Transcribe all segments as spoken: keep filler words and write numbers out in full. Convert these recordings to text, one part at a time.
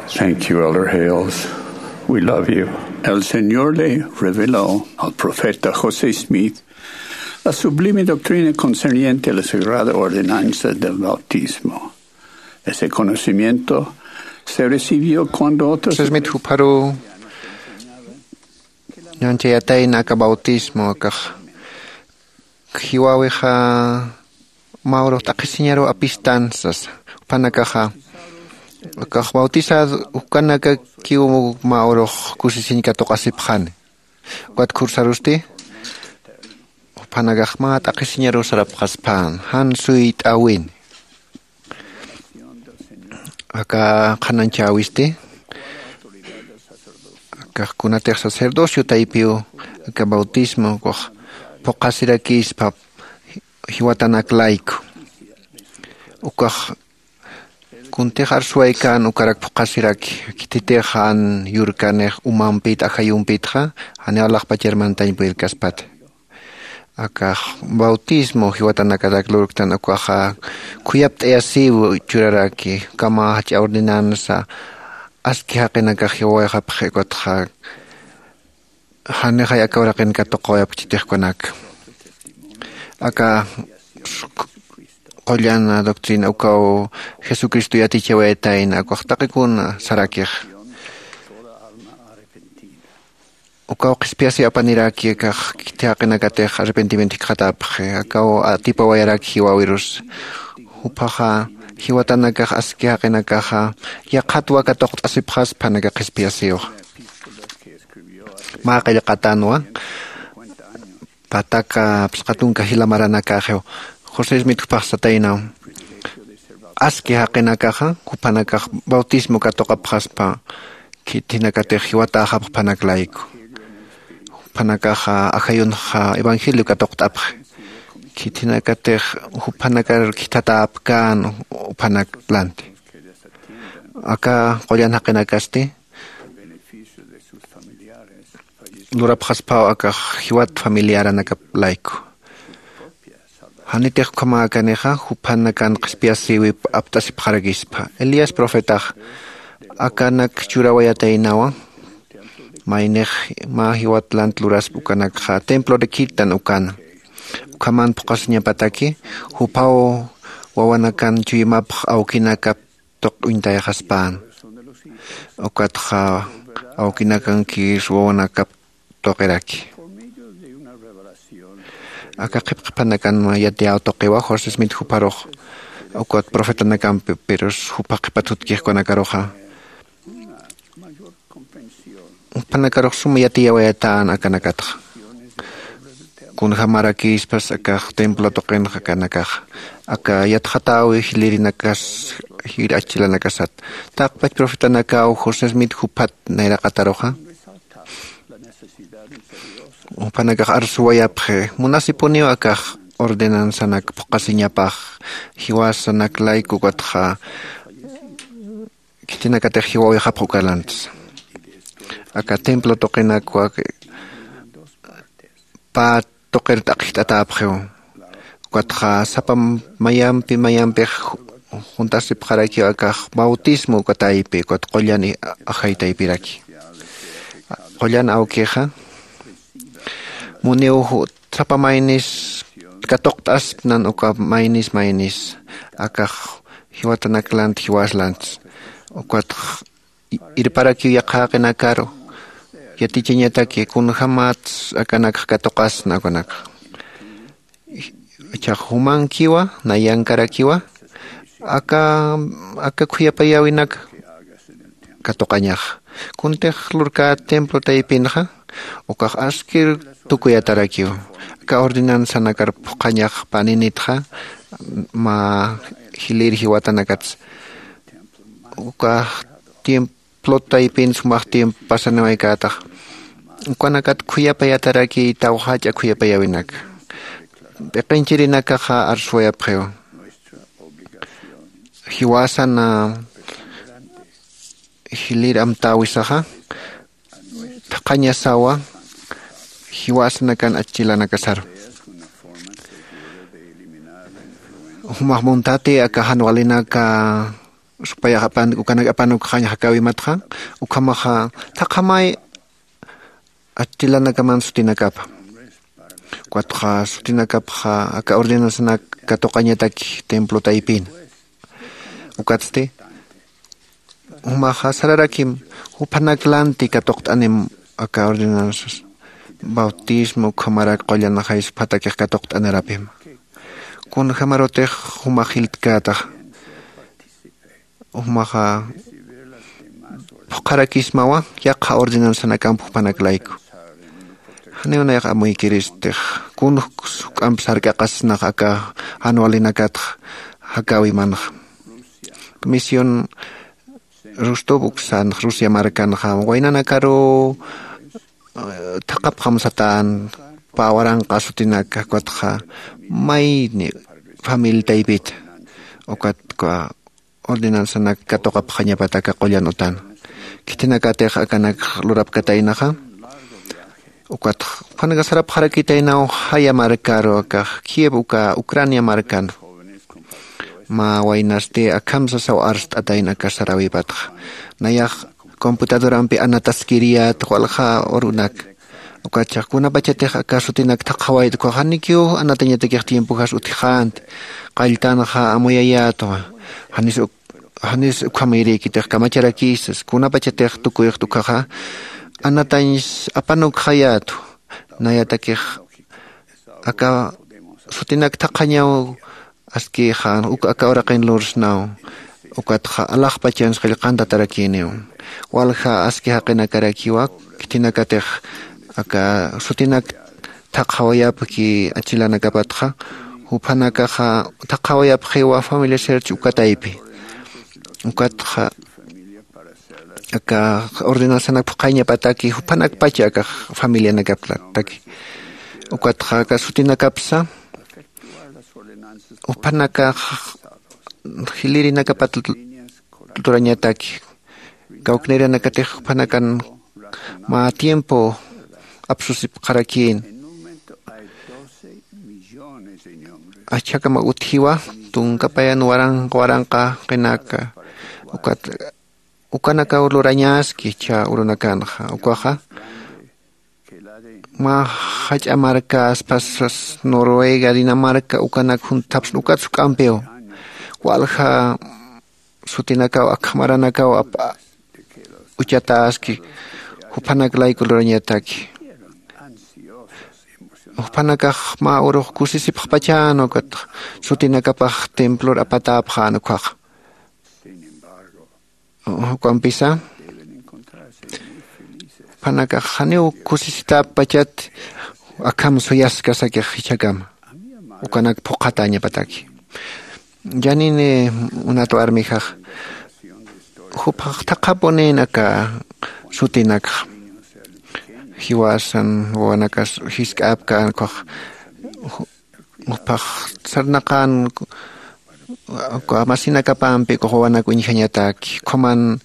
Thank you, Elder Hales. We love you. El Señor le reveló al profeta José Smith la sublime doctrina concerniente a la sagrada ordenanza del bautismo. Ese conocimiento se recibió cuando otros José Smith jupharu ñanchayatayna aka bautismo akax jiwawixa mä urux t'aqhisiñaru apistan sasa. Juphanakaxa akax bautizad ukanakakiw mä urux kusisiñ katuqasipxani. Ukat khursarusti juphanakax mä t'aqhisiñaru sarapxaspän jan suyt'äwini. Aka qhanañchäwisti akax kunatix sacerdocio taypiw aka bautismo ukax phuqhasirakispa jiwatanak layku. Ukax kuntix arsuwaykän ukarak phuqhasiraki khititix jan yurkanix umampit ajayumpitxa janiw alaxpachar mantañ purirkaspati. Akax bautismo jiwatanakatak lurktan ukaxa khuyapt'ayasiw churaraki ukhama jach'a ordenanza aski jaqinakax jiwawayxapxi ukatxa janixay aka uraqin katuqawayapxi chitix ukanaka. Aka qullan doctrina ukaw jesucristo yatichawayatayna ukax taqikuna sarakix. Ukaw qhispiyasiw apaniraki akax khithi jaqinakatix arrepentimiento jikxatapxi akaw atipawayaraki jiwäwirus. Juphaxa jiwatanakax aski jaqinakaxa yaqhatwa katuqt'asipxaspa jan aka qhispiyasiw. Mä qillqatänwa pataka phisqa tunka jila maranakaxiw. José smith juphax sataynaw aski jaqinakaxa juphanakax bautismo katuqapxaspa khithinakatix jiwatäxapx juphanak layku. Juphanakaxa ajayunxa evangelio katuqt'apxi khithinakatix juphanakar khithatäpkän juphanak lanti. Aka qullan jaqinakasti lurapxaspaw akax jiwat familiaranakap layku. Janitix ukhamäkanixa juphanakan qhispiyasïwip apt'asipxarakispa. Elías profetax akanak churawayataynawa. Maynix mä jiwat lant luraspa ukanakxa templo de khitan ukana ukhaman phuqhasiñapataki juphaw wawanakan chuymapx awkinakap tuq uñtayxaspän. Ukatxa awkinakankis wawanakap tuqiraki. Aka qhipqhipanakan yatiyäw tuqiwa josé smith jupharux ukat profetanakampi pirus jupha qhipat jutkixkunakaruxa juphanakarux suma yatiyawayatän akanakatxa. Kunjamarakïspas akax templo tuqinxa akanakaxa aka yatxatäwi jilïrinakas jir achchilanakasat. Taqpach profetanakaw josé smith juphat nayraqataruxa juphanakax arsuwayapxi munasipuniw akax ordenanzanak phuqhasiñapax jiwasanak layku ukatxa khitinakatix jiwawixapx ukalantis. Aka templo tuqinakwa pä tuqir t'aqjt'atäpxiw. Ukatxa sapa mayampi mayampix juntasipxarakiw akax bautismo uka taypi ukat qullan ajay taypiraki. Qullan awkixa muniw sapa maynis katuqt'aspnan uka maynis maynis akax jiwatanak lant jiwas lants. Ukat irparakiw yaqha jaqinakaru yatichañataki kunjämats akanakx katuqasna ukanakxa. Ichhax jumankiwa nayankarakiwa aka aka khuyapayäwinak katuqañaxa. Kuntix lurkä templo taypinxa ukax askir tukuyatarakiw aka ordenanzanakar phuqhañax paninitxa mä jilïr jiwatanakats ukax tiempo plot taypin sumax tiempo pasaniwaykätax ukanakat khuyapayatarakiy tawjach'a khuyapayäwinak. P'iqinchirinakaxa arsuwayapxiw jiwasana jilïr amtäwisaxa thaqhañasawa jiwasanakan achchilanakasaru. Jumax muntati aka jan walinaka Supayax apan ukanak apanukxañ jakäwimatxa. Ukhamaxa thaqhamay achchilanakaman sutinakapa. Ukatxa sutinakapxa aka ordenanzanak katuqañataki templo taypin. Ukatsti jumaxa sararakim juphanak lanti katuqt'anim aka ordenanzas bautismo ukhamarak qullan jaysupatakix katuqt'anarapima. Kunjämarutix jumax jiltkätaxa jumaxa phuqharakismawa yaqha ordenanzanakamp juphanak layku. Janiw nayax amuykiristix kunjks juk'amp sark'aqasnax aka jan walinakatxa jakäwimanxa. Misión rostov uksanxa rusia markanxa waynanakaruw thaqhapxam satän pä waranqa sutinaka ukatxa mayni familia taypita ukat ordenanzanak katuqapxañapata aka qullan utan. Khitinakatix akanak lurapkataynaxa ukatxa jupanaka sarapxarakitaynaw jaya markaru akax kiev uka ucrania markan. Mä waynasti akham sasaw arst'atayna aka saräwipatxa. Nayax computadorampi anataskiriyät walja urunak. Ukatchax kunapachatix aka sutinak thaqhawayta ukhax janikiw anatañatakix tiempojas utjxänti. Qalltanxa amuyayätwa. Janis janis ukhamayrïkitix kamacharakïsas kunapachatix tukuyxt ukhaxa anatañs apanukxayätwa. Nayatakix aka sutinak thaqhañaw askïxa uk aka uraqin lursnaw. Ukatxa alaxpachans qillqantatarakïniw walja aski jaqinakarakiwa. Khitinakatix aka sutinak thaqhawayapki achilanakapatxa juphanakaxa thaqhawayapxiwa familia serch uka taypi. Ukatxa aka ordenanzanak phuqhañapataki juphanakpacha aka familianakaptaki. Ukatxa aka sutinakapsa juphanakax jilirinakapat lurañataki kawknïrinakatix juphanakan mä tiempo apsusipxarakïn. Achhakama utjiwa tunka payan waranqa waranqa qinaka ukat ukanakaw lurañaski chha urunakanxa ukaxa mä jach'a markäspasas noruega dinamarca ukanak junthapsna ukat suk'ampiw walja sutinakaw akhamaranakaw uchatäski juphanak layku lurañataki. Juphanakax mä urux kusisipxpachän ukat sutinakapax templor apatäpxän ukhaxa. Ukampisa juphanakax janiw kusisitäppachat akham suyaskasakix jichhakama ukanak phuqhatäñapataki. Janini munat warmixax juphax thaqhapunïn aka sutinakxa jiwasan wawanakas jisk'äpkän ukhax juphax sarnaqän uka masinakapampi ukax wawanak uñjañataki ukhaman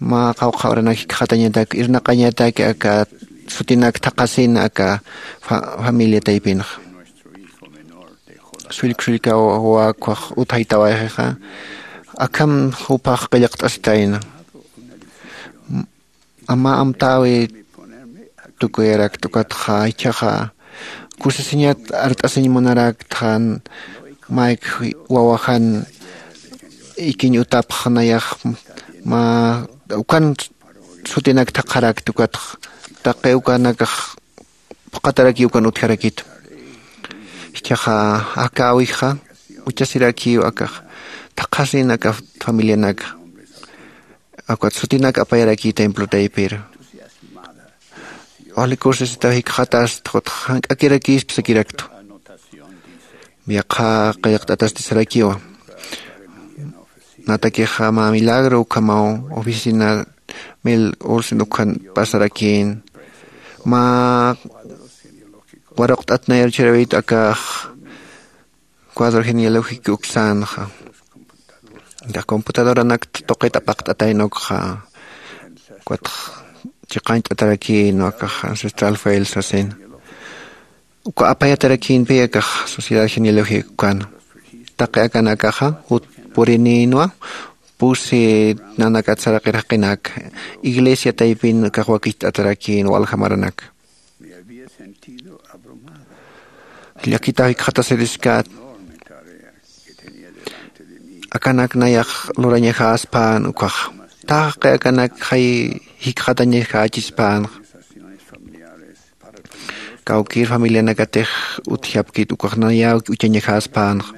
mä qawqha uranak jikxatañatak irnaqañatak aka sutinak thaqhasin aka familia taypinxa. Sullka sullka wawakwax uthaytawayxixa akham juphax qillqt'asitayna. Ama amtäwi tukuyarakta ukatxa ichhaxa kusisiñat art'asiñ munaraktxan mayk wawajan ikiñ utapx nayax mä ukan sutinak thaqharakta ukatxa taqi ukanakax phuqhataraki ukan utjarakitu. Ichhaxa akäwixa uchasirakiw akax thaqhasin aka familianaka akat sutinak apayaraki templo taypir. Wali kusisitaw jikxatast ukatxa jank'akirakisp sakiraktu. Yaqha qillqt'atasti sarakiwa. Natakixa mä milagro ukhamaw oficina mil olsen ukhan pasarakïn mä waruqt'at nayar chharawit akax cuadro genealógico uksanxa. Computadoranak tuqit apaqt'atayna ukxa ukatx chiqañt'atarakïn akax ancestral file sasin uka apayatarakïnpi akax sociedad genealógica ukan taqi akanakaxa jut purinïnwa. pusi nanakat saraqir jaqinak iglesia taypin kaxwakicht'atarakïn walja maranaka. Llakitaw jikxatasiriskat. Akanak nayax lurañaxäspän ukkhax taqi akanak jay jikxatañaxächispänxa. Kawkïr familianakatix utjapkit ukkhax nayaw uchañaxäspänxa.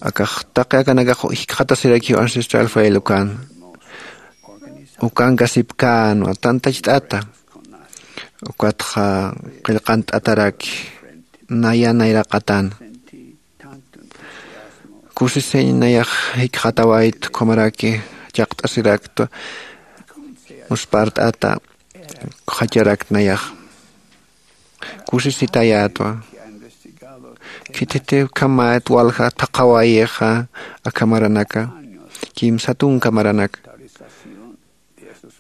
Akax taqi akanakax jikxatasirakiw ancestral file ukan ukankasipkänwa tantacht'ata. Ukatxa qillqant'ataraki naya nayraqatana. Kusisiñ nayax jikxatawaytu ukhamaraki chaqt'asiraktwa. Muspart'ata ukxacharakt nayax kusisitayätwa. Khithiti ukhamat walja thaqhawayixa akha maranaka kimsa tunka maranaka.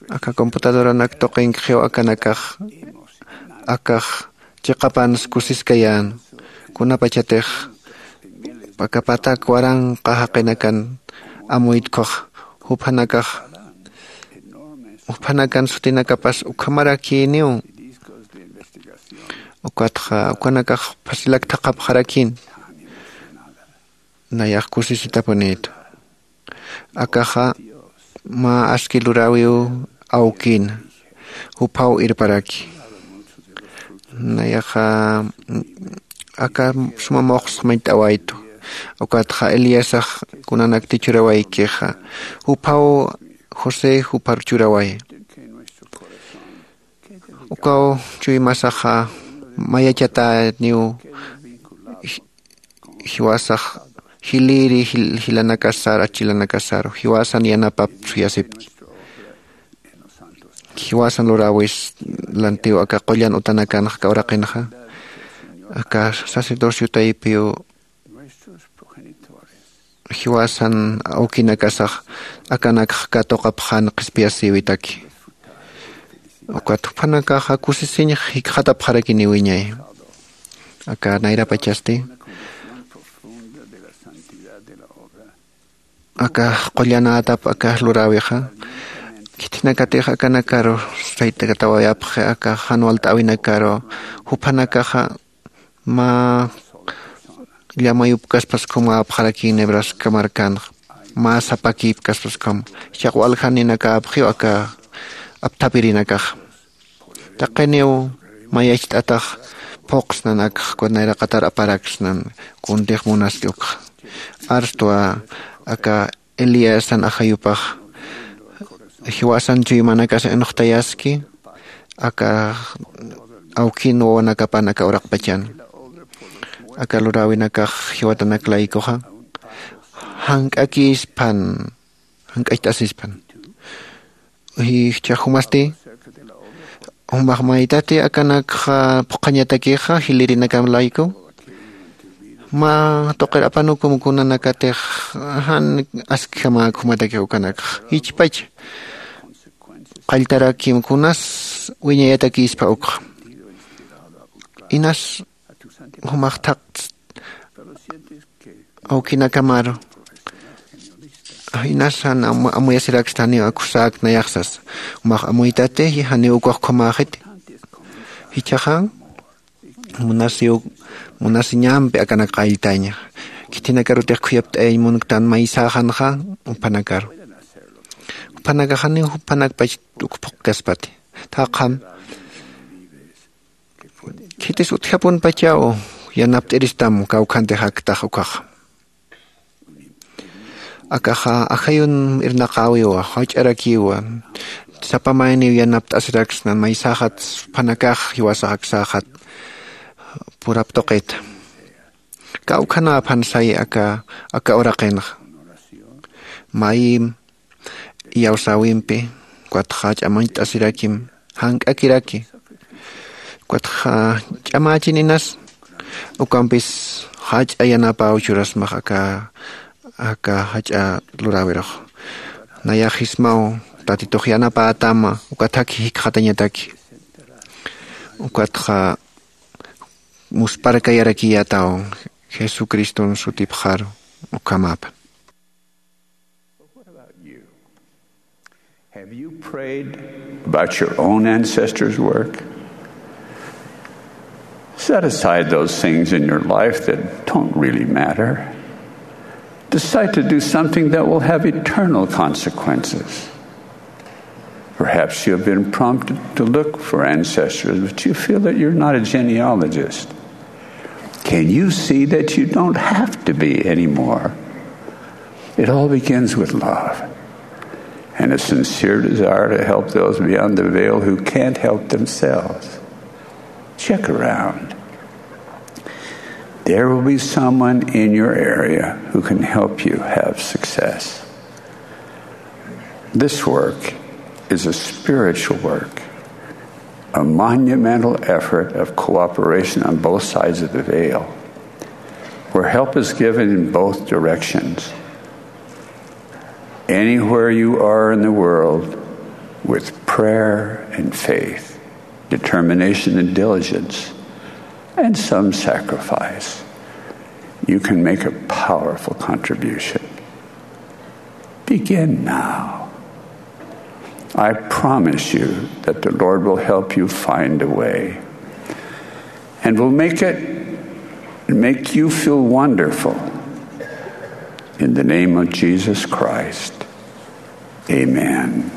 Aka computadoranak tuqinkxiw akanakax akax chiqapans kusiskayän. Kunapachatix aka patak waranqa jaqinakan amuytkux juphanakax juphanakan sutinakapas ukhamarakïniw. Ukatxa ukanakax phasilak thaqhapxarakïn nayax kusisitapunïtu. Akaxa mä aski luräwiw awkïna juphaw irparaki. Nayaxa aka suma muxsa mayt'awaytu. Ukatxa eliasax kunanakti churawaykixa juphaw josé juphar churaway. Ukaw chuymasaxa mayachatäniw jiwasax jilïri jilanakasaru achilanakasaru jiwasan yanapap suyasipki. Jiwasan luräwis lantiw aka qullan utanakanxa aka uraqinxa aka sacerdocio taypiw jiwasan awkinakasax akanakx katuqapxan qhispiyasïwitaki. Ukat juphanakaxa kusisiñx jikxatapxarakiniwiñay aka nayrapachasti. Aka qullanätap aka luräwixa khithinakatix akanakaru saytakatawayapxi aka jan walt'äwinakaru juphanakaxa mä llamayupkaspas ukham wäpxarakïn nebraska markanxa mä sapakïpkaspas ukham jichhax waljaninakapxiw aka apthapirinakaxa. Taqiniw mayacht'atax phuqsnan akxa kuna iraqatar aparaksnan kuntix munaski ukxa. Arstwa aka eliasan ajayupax jiwasan chuymanakas inuxtayaski aka awkin wawanakapan aka uraqpachan. Aka luräwinakax jiwatanak laykuxa jank'akïspan jank'acht'asispan. Jichhax jumasti jumax maytati akanakxa phuqhañatakixa jilïrinakam layku mä tuqir apanukum kunanakatix jan askjamäk jumatakix ukanakxa jichpacha qalltarakim kunas wiñayatakïspa ukxa. Inas jumax thaqtst awkinakamaru inas jan amuyasiraksta janiw akusäk nayaxsas. Jumax amuytati janiw ukwax ukhamäxiti. Jichhaxa munasiw munasiñampi akanak qalltaña. Khithinakarutix khuyapt'ayañ munktan maysäxanxa juphanakaru juphanakax janiw juphanakpach uk phuqkaspati. Thaqham khitis utjapunpachaw yanapt'iristam kawkhantix aktax ukhaxa. Akaxa ajayun irnaqäwiwa jach'arakiwa. Sapa mayniw yanapt'asiraksnan maysäxat juphanakax jiwasax aksäxat purap tuqita. Kawkhanäpan say aka aka uraqinxa mayim iyawsäwimpi ukatxa jach'a mañt'asirakim jank'akiraki. Ukatxa ch'amächin inas ukampis jach'a yanapäw churasmax aka aka jach'a luräwirux. Nayaxismaw tatitux yanapätama ukathaki jikxatañataki. Ukatxa musparkayarakiyätaw Jesucriston sutipxaru. Ukhamapa. Have you prayed about your own ancestors' work? Set aside those things in your life that don't really matter. Decide to do something that will have eternal consequences. Perhaps you have been prompted to look for ancestors, but you feel that you're not a genealogist. Can you see that you don't have to be anymore? It all begins with love and a sincere desire to help those beyond the veil who can't help themselves. Check around. There will be someone in your area who can help you have success. This work is a spiritual work, a monumental effort of cooperation on both sides of the veil, where help is given in both directions. Anywhere you are in the world, with prayer and faith, determination and diligence, and some sacrifice, you can make a powerful contribution. Begin now. I promise you that the Lord will help you find a way and will make it make you feel wonderful. In the name of Jesus Christ, amen.